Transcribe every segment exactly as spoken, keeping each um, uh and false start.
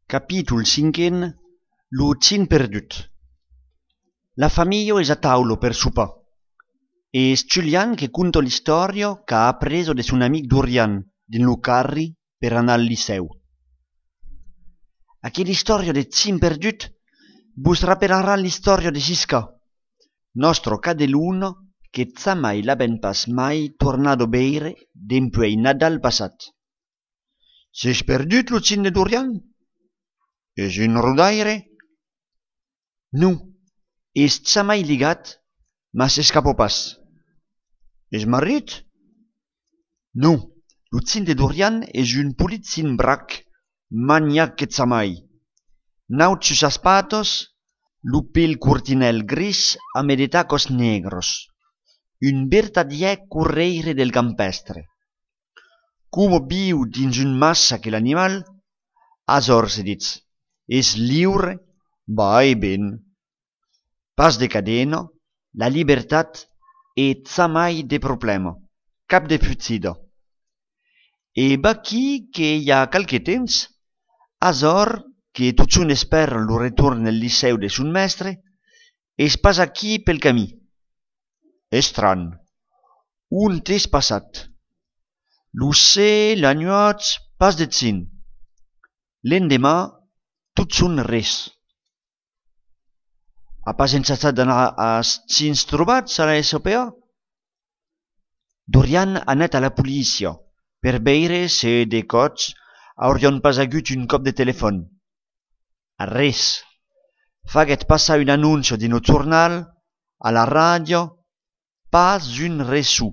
Capítol cinquen, lo cin perdut. La famiglia es a taulo per sopar. Es Julian che conta l'istoria che ha appreso de son amic Dorian din lo carri per anar al liceu. Aquella istoria de cin perdut vos rappelerà l'istoria de Sisca, nostro cadeluno che za mai l'aben pas mai tornato beire dempuei Nadal passat. S'es perdut lo cin de Dorian? Es un rodaire? Nu, es za mai ligat, ma s'escapò pas. Es marit? Nu, lo cin de Dorian es un politzin brac, maniac que za mai. Naut sus aspatos, lo pel curtinel gris a de tacos negros. Un vertadier correire del campestre. Como viu dins un massa que l'animal, azor se ditz. Es liure, vai ben. Pas de cadena, la libertat e za mai de problema, cap de futsida. E baqui que hi ha qualque temps, azor que tots un espera lo retorn al liceu de son mestre, es pas aquí pel camí. Estran, un tes passat. Lo se, la nuat, pas de cin. L'endemà, tot son res. Ha pas encertat d'anar als cins trobats a la S O P A? Dorian ha anat a la policia per veure se de cots haurien pas hagut un cop de telèfon. Res. Faguet passar un annuncio din o jornal, a la ràdio, pas un reçu.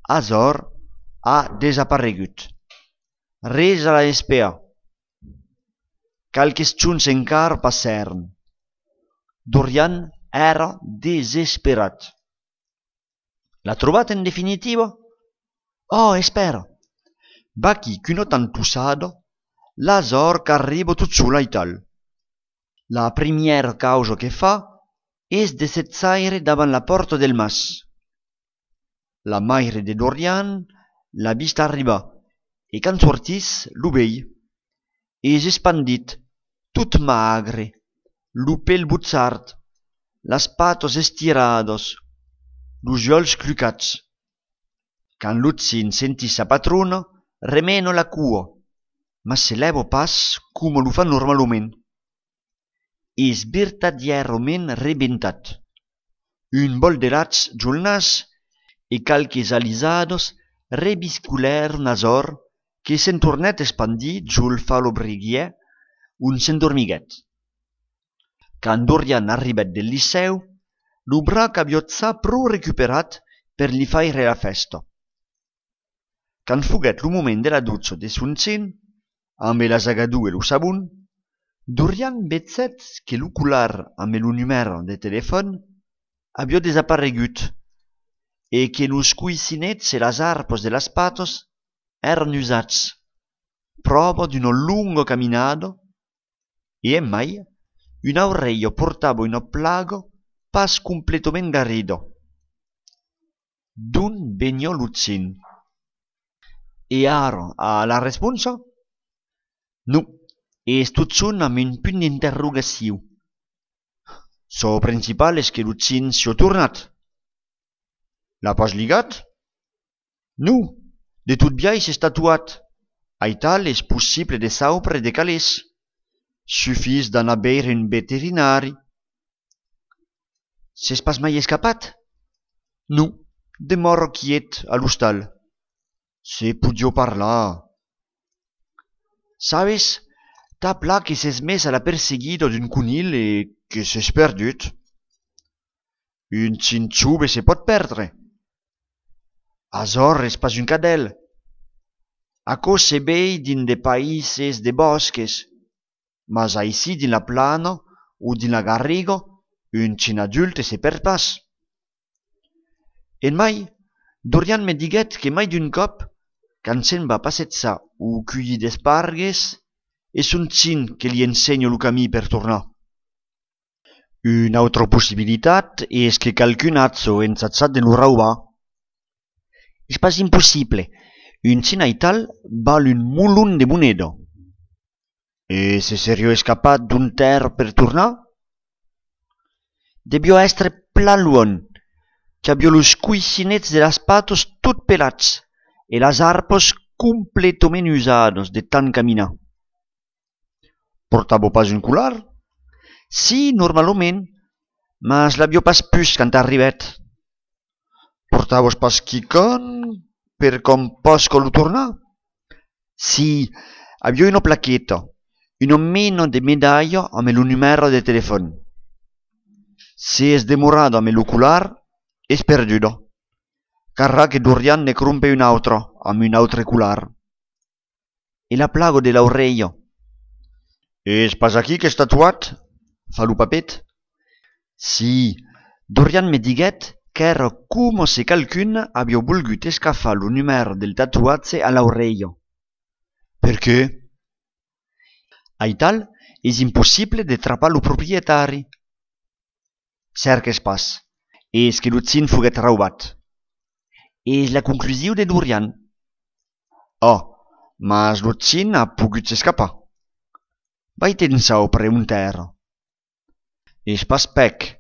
Azor ha desaparegut. Res a la S P A. Calques junts encara passaren. Dorian era desesperat. L'ha trobat en definitiva? Oh, espera. Baqui qu'una tantussada, l'azor qu'arriba tot sola i tal. La primiera causa que fa és de setzaire davant la porta del mas. La maire de Dorian l'ha vist arribar e quan sortís lo vei. És espandit, tot magre, lo pel butzart, las patos estirados, los ulls clucats. Quand Lutzin sentí sa patrona, remeno la cua, ma se leva pas come lo fa normalment. És vertadierament rebentat. Un bol de rats giul nas e calques alisados rebisculeron azor que se'n tornet espandit giul falo briguier un s'endormiguet. Quand Dorian arribet del liceu, lo brac aviotza pro recuperat per li faire la festa. Quand fuguet lo moment de la dutza de son cin, amb la zagadou e lo sabun, Dorian vetzet que lo colar amb lo numero de telèfon havia desaparegut e que los cuisinets e las arpos de las patos eran usats. Prova d'una lunga caminada e mai una oreilla portava una plaga pas completament garrida. D'on venia lo cin? E ara, a la responsa? Nu, és tot son amb un punt d'interrogació. So principal és que lo cin s'ha tornat. L'ha pas ligat? Nu, de tot biais s'és tatuat. Aital és possible de saupre de calés. Suffís d'anar a veure un veterinari. S'és pas mai escapat? Nu, demora quiet a l'hostal. Se podia parlar. Sabes, t'ha pla que s'és mes a la perseguida d'un conil e que s'és perdut. Un cinxube se pot perdre. Azor és pas un cadel. Aco se vei din de païses de bosques. Mas aici din la plana o din la garriga, un cin adulte se perd pas. En mai, Dorian me diguet que mai d'un cop, quand se'n va passejar o cuir d'espargues, és un cin que li ensenya lo camí per tornar. Una altra possibilitat és que qualcun atzo ensatzat de lo raubar. És pas impossible. Un cin aital val un mulun de moneda. E se serio escapat d'un terre per tornar? Debió estre plan luon, qu'abió los cuisinets de las patos tot pelats e las arpos completament usados de tant caminar. Portavo pas un colar? Sí, normalment, mas l'abió pas pus quand arribèt. Portavos pas quicon per com posco lo tornar? Sí, abió una plaqueta, un meno de medaglia amb lo numero de telefon. Se es demorado amb l'ocular, es perdudo. Carrà che Dorian ne crumpe un altro amb un altre cular. E la plago de l'aureia. Es pas aquí qu'es tatuat? Fa lo papet. Sí, Dorian me diguet qu'era como se calcun avió volgut escafar lo numero del tatuatge a l'aureia. Per què? Aital és impossible de trapar lo proprietari. Cerques pas, és que lo tsin foguet raubat. És la conclusiu de Dorian. Oh, mas lo tsin ha pogut s'escapar. Vai tensau preguntar. És pas pec,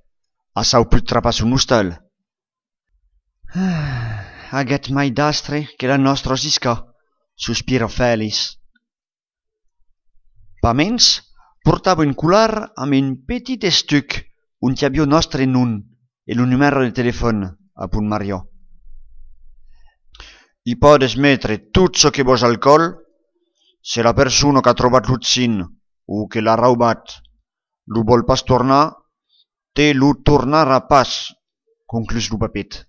a sau put trapar son hostal. Aguet mai d'astre que la nostra sisca, sospira Fèlix. Pa mens, portava un colar amb un petit estuc on hi havia nostre nom e lo numero de telefon, a punt Mario. I podes metre tot çò que vos al col, se la persona que ha trobat lo tsin o que l'ha raubat lo vol pas tornar, te lo tornarà pas, conclús lo papet.